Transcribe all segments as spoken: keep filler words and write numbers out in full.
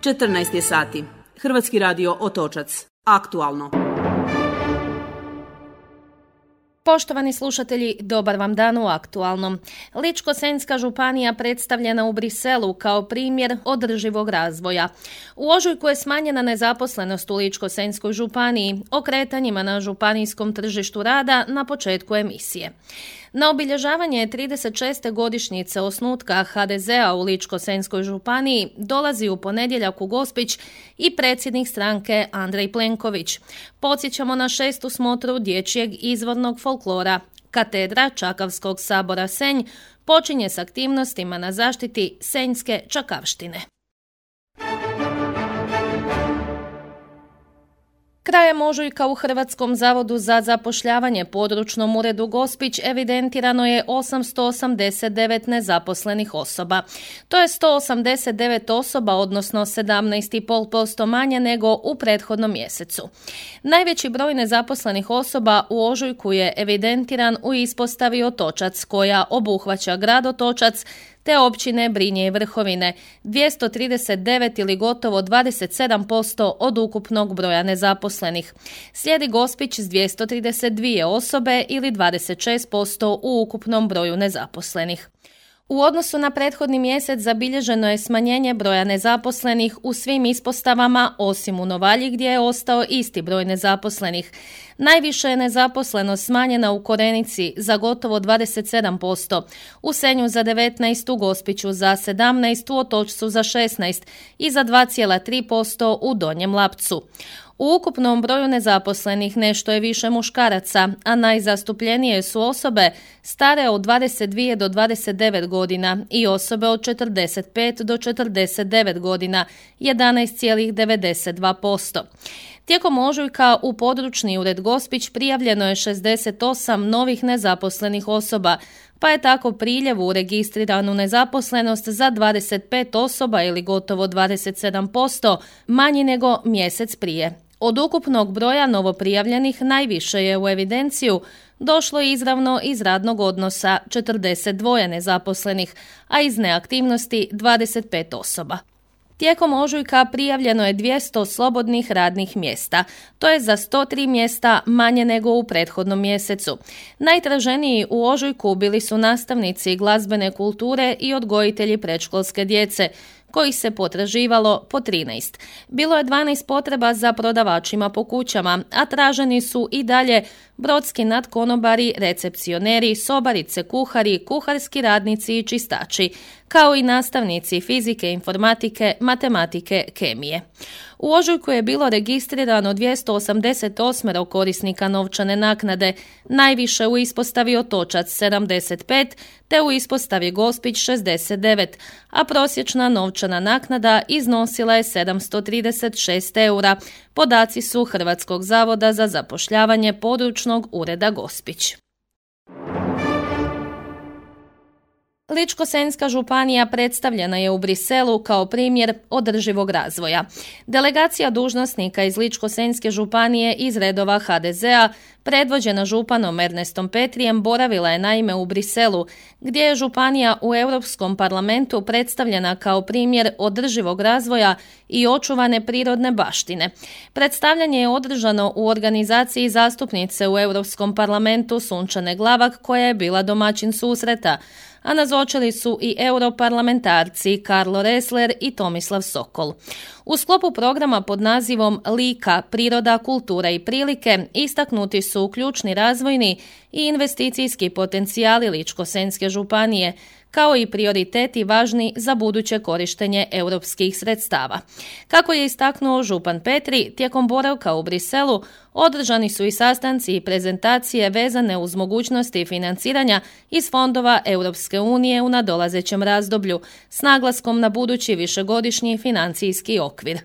četrnaest je sati. Hrvatski radio Otočac. Aktualno. Poštovani slušatelji, dobar vam dan u Aktualnom. Ličko-senjska županija predstavljena u Briselu kao primjer održivog razvoja. U ožujku je smanjena nezaposlenost u Ličko-senjskoj županiji, o kretanjima na županijskom tržištu rada na početku emisije. Na obilježavanje trideset šeste godišnjice osnutka ha de zea u Ličko-senjskoj županiji dolazi u ponedjeljak u Gospić i predsjednik stranke Andrej Plenković. Podsjećamo na šestu smotru dječjeg izvornog folklora. Katedra Čakavskog sabora Senj počinje s aktivnostima na zaštiti senjske čakavštine. Krajem ožujka u Hrvatskom zavodu za zapošljavanje područnom uredu Gospić evidentirano je osamsto osamdeset devet nezaposlenih osoba. To je sto osamdeset devet osoba, odnosno sedamnaest zarez pet posto manje nego u prethodnom mjesecu. Najveći broj nezaposlenih osoba u ožujku je evidentiran u ispostavi Otočac, koja obuhvaća grad Otočac, te općine Brinje i Vrhovine, dvjesto trideset devet ili gotovo dvadeset sedam posto od ukupnog broja nezaposlenih. Slijedi Gospić s dvjesto trideset dvije osobe ili dvadeset šest posto u ukupnom broju nezaposlenih. U odnosu na prethodni mjesec zabilježeno je smanjenje broja nezaposlenih u svim ispostavama, osim u Novalji gdje je ostao isti broj nezaposlenih. Najviše je nezaposlenost smanjena u Korenici za gotovo dvadeset sedam posto, u Senju za devetnaest, u Gospiću za sedamnaest, u Otočcu za šesnaest i za dva zarez tri posto u Donjem Lapcu. U ukupnom broju nezaposlenih nešto je više muškaraca, a najzastupljenije su osobe stare od dvadeset dvije do dvadeset devet godina i osobe od četrdeset pet do četrdeset devet godina, jedanaest zarez devedeset dva posto. Tijekom ožujka u područni ured Gospić prijavljeno je šezdeset osam novih nezaposlenih osoba, pa je tako priljev u registriranu nezaposlenost za dvadeset pet osoba ili gotovo dvadeset sedam posto manji nego mjesec prije. Od ukupnog broja novoprijavljenih najviše je u evidenciju došlo izravno iz radnog odnosa četrdeset dva nezaposlenih, a iz neaktivnosti dvadeset pet osoba. Tijekom ožujka prijavljeno je dvjesto slobodnih radnih mjesta. To je za sto tri mjesta manje nego u prethodnom mjesecu. Najtraženiji u ožujku bili su nastavnici glazbene kulture i odgojitelji predškolske djece, kojih se potraživalo po trinaest. Bilo je dvanaest potreba za prodavačima po kućama, a traženi su i dalje brodski nadkonobari, recepcioneri, sobarice, kuhari, kuharski radnici i čistači, kao i nastavnici fizike, informatike, matematike, kemije. U ožujku je bilo registrirano dvjesto osamdeset osam korisnika novčane naknade, najviše u ispostavi Otočac sedamdeset pet, te u ispostavi Gospić šezdeset devet, a prosječna novčana naknada iznosila je sedamsto trideset šest eura. Podaci su Hrvatskog zavoda za zapošljavanje područnog ureda Gospić. Ličko-senjska županija predstavljena je u Briselu kao primjer održivog razvoja. Delegacija dužnosnika iz Ličko-senjske županije iz redova ha de zea, predvođena županom Ernestom Petrijem, boravila je naime u Briselu, gdje je županija u Europskom parlamentu predstavljena kao primjer održivog razvoja i očuvane prirodne baštine. Predstavljanje je održano u organizaciji zastupnice u Europskom parlamentu Sunčane Glavak, koja je bila domaćin susreta, a nazočili su i europarlamentarci Karlo Resler i Tomislav Sokol. U sklopu programa pod nazivom Lika, priroda, kultura i prilike istaknuti su ključni razvojni i investicijski potencijali Ličko-senjske županije, kao i prioriteti važni za buduće korištenje europskih sredstava. Kako je istaknuo župan Petri, tijekom boravka u Briselu održani su i sastanci i prezentacije vezane uz mogućnosti financiranja iz fondova Europske unije u nadolazećem razdoblju, s naglaskom na budući višegodišnji financijski okvir.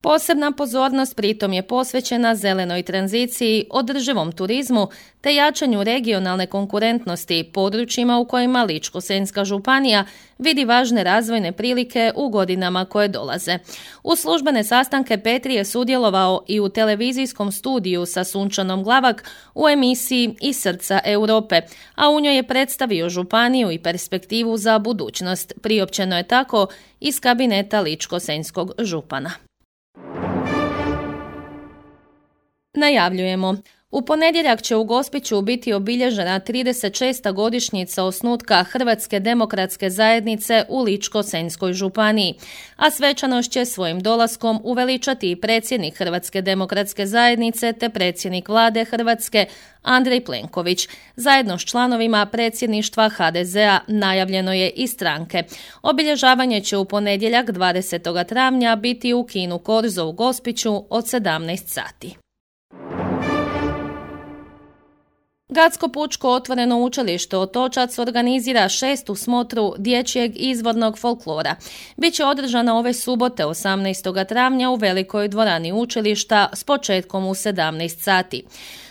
Posebna pozornost pritom je posvećena zelenoj tranziciji, održivom turizmu te jačanju regionalne konkurentnosti područjima u kojima Ličko-senjska županija vidi važne razvojne prilike u godinama koje dolaze. U službene sastanke Petri je sudjelovao i u televizijskom studiju sa Sunčanom Glavak u emisiji Iz srca Europe, a u njoj je predstavio županiju i perspektivu za budućnost. Priopćeno je tako iz kabineta Ličko-senjskog župana. Najavljujemo. U ponedjeljak će u Gospiću biti obilježena trideset šesta godišnjica osnutka Hrvatske demokratske zajednice u Ličko-senjskoj županiji, a svečanost će svojim dolaskom uveličati i predsjednik Hrvatske demokratske zajednice te predsjednik vlade Hrvatske Andrej Plenković. Zajedno s članovima predsjedništva ha de zea najavljeno je i stranke. Obilježavanje će u ponedjeljak dvadesetog travnja biti u kinu Korzo u Gospiću od sedamnaest sati. Gradsko pučko otvoreno učilište Otočac organizira šestu smotru dječjeg izvornog folklora. Biće održana ove subote osamnaestog travnja u velikoj dvorani učilišta s početkom u sedamnaest sati.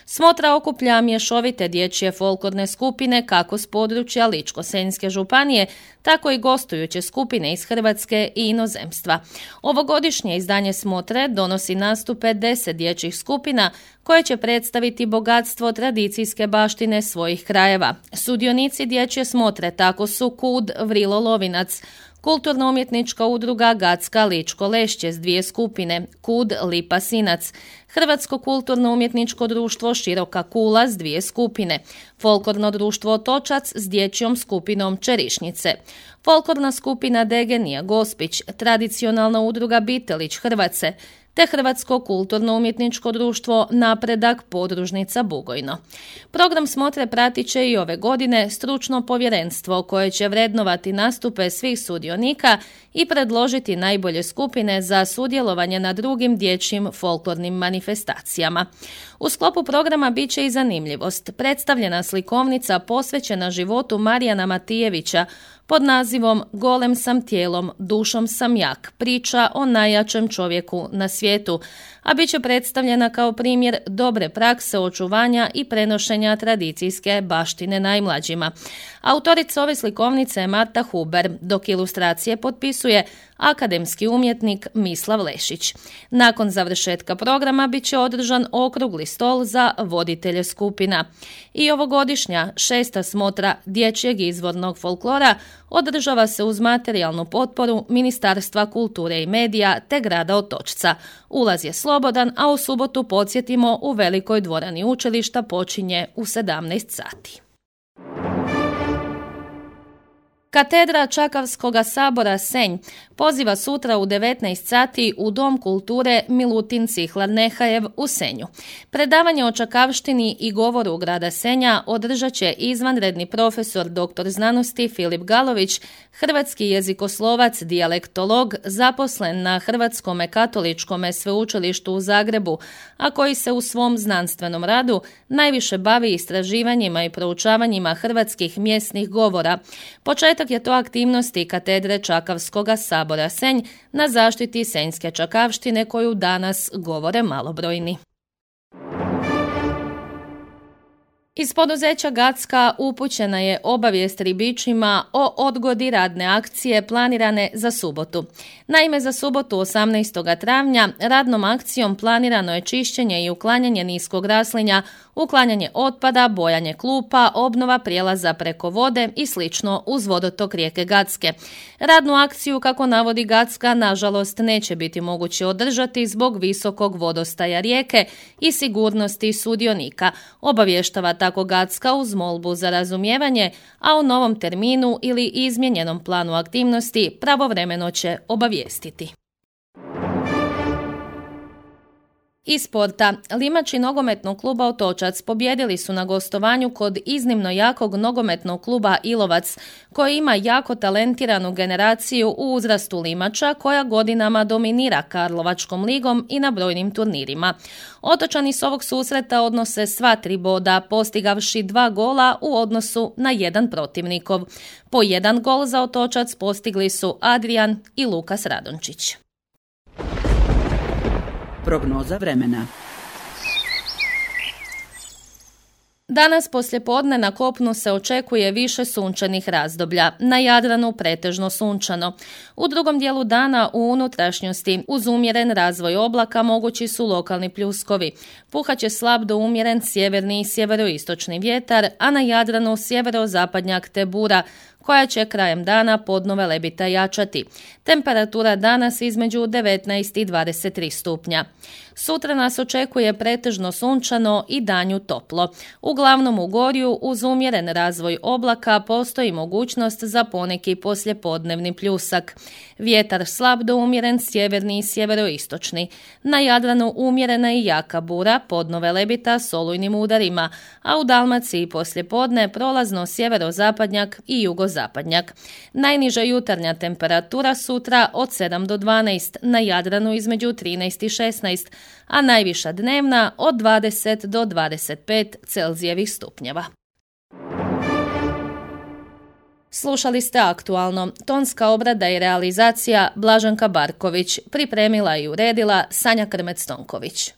Smotra okuplja mješovite dječje folklorne skupine kako s područja Ličko-senjske županije, tako i gostujuće skupine iz Hrvatske i inozemstva. Ovogodišnje izdanje smotre donosi nastupe deset dječjih skupina koje će predstaviti bogatstvo tradicijske baštine svojih krajeva. Sudionici dječje smotre tako su Kud Vrilo Lovinac, Kulturno-umjetnička udruga Gacka Ličko Lešće s dvije skupine, Kud Lipa Sinac, Hrvatsko kulturno-umjetničko društvo Široka Kula s dvije skupine, Folklorno društvo Otočac s dječjom skupinom Čerišnice, Folklorna skupina Degenija Gospić, Tradicionalna udruga Bitelić Hrvace, te Hrvatsko kulturno-umjetničko društvo Napredak Podružnica Bugojno. Program smotre pratit će i ove godine stručno povjerenstvo koje će vrednovati nastupe svih sudionika i predložiti najbolje skupine za sudjelovanje na drugim dječjim folklornim manifestacijama. U sklopu programa bit će i zanimljivost. Predstavljena slikovnica posvećena životu Marijana Matijevića pod nazivom Golem sam tijelom, dušom sam jak, priča o najjačem čovjeku na svijetu, a bit će predstavljena kao primjer dobre prakse očuvanja i prenošenja tradicijske baštine najmlađima. Autorica ove slikovnice je Marta Huber, dok ilustracije potpisuje akademski umjetnik Mislav Lešić. Nakon završetka programa bit će održan okrugli stol za voditelje skupina. I ovogodišnja šesta smotra dječjeg izvornog folklora održava se uz materijalnu potporu Ministarstva kulture i medija te grada Otočca. Ulaz je slobodan, a u subotu, podsjetimo, u velikoj dvorani učilišta počinje u sedamnaest sati. Katedra Čakavskoga sabora Senj poziva sutra u devetnaest sati u Dom kulture Milutin Cihlar Nehajev u Senju. Predavanje o čakavštini i govoru grada Senja održat će izvanredni profesor doktor znanosti Filip Galović, hrvatski jezikoslovac, dijalektolog, zaposlen na Hrvatskom katoličkom sveučilištu u Zagrebu, a koji se u svom znanstvenom radu najviše bavi istraživanjima i proučavanjima hrvatskih mjesnih govora. Početak je to aktivnosti katedre Čakavskoga sabora Senj na zaštiti senjske čakavštine koju danas govore malobrojni. Iz poduzeća Gacka upućena je obavijest ribičima o odgodi radne akcije planirane za subotu. Naime, za subotu osamnaestog travnja radnom akcijom planirano je čišćenje i uklanjanje niskog raslinja, uklanjanje otpada, bojanje klupa, obnova prijelaza preko vode i slično uz vodotok rijeke Gacke. Radnu akciju, kako navodi Gacka, nažalost neće biti moguće održati zbog visokog vodostaja rijeke i sigurnosti sudionika. Obavještava tako Gacka uz molbu za razumijevanje, a o novom terminu ili izmijenjenom planu aktivnosti pravovremeno će obavijestiti. Iz sporta, Limači nogometnog kluba Otočac pobjedili su na gostovanju kod iznimno jakog nogometnog kluba Ilovac, koji ima jako talentiranu generaciju u uzrastu Limača koja godinama dominira Karlovačkom ligom i na brojnim turnirima. Otočani s ovog susreta odnose sva tri boda, postigavši dva gola u odnosu na jedan protivnikov. Po jedan gol za Otočac postigli su Adrijan i Lukas Radončić. Prognoza vremena. Danas poslijepodne na kopnu se očekuje više sunčanih razdoblja, na Jadranu pretežno sunčano. U drugom dijelu dana u unutrašnjosti uz umjeren razvoj oblaka mogući su lokalni pljuskovi. Puhat će slab do umjeren sjeverni i sjeveroistočni vjetar, a na Jadranu sjeverozapadnjak te bura, koja će krajem dana podnove lebita jačati. Temperatura danas između devetnaest i dvadeset tri stupnja. Sutra nas očekuje pretežno sunčano i danju toplo. Uglavnom u Gorju uz umjeren razvoj oblaka postoji mogućnost za poneki poslijepodnevni pljusak. Vjetar slab do umjeren sjeverni i sjeveroistočni. Na Jadranu umjerena i jaka bura, podnove lebita s olujnim udarima, a u Dalmaciji poslijepodne prolazno sjeverozapadnjak i jugozapadnjak. Najniža jutarnja temperatura sutra od sedam do dvanaest, na Jadranu između trinaest i šesnaest, a najviša dnevna od dvadeset do dvadeset pet Celzijevih stupnjeva. Slušali ste Aktualno. Tonska obrada i realizacija Blaženka Barković. Pripremila i uredila Sanja Krmec-Tonković.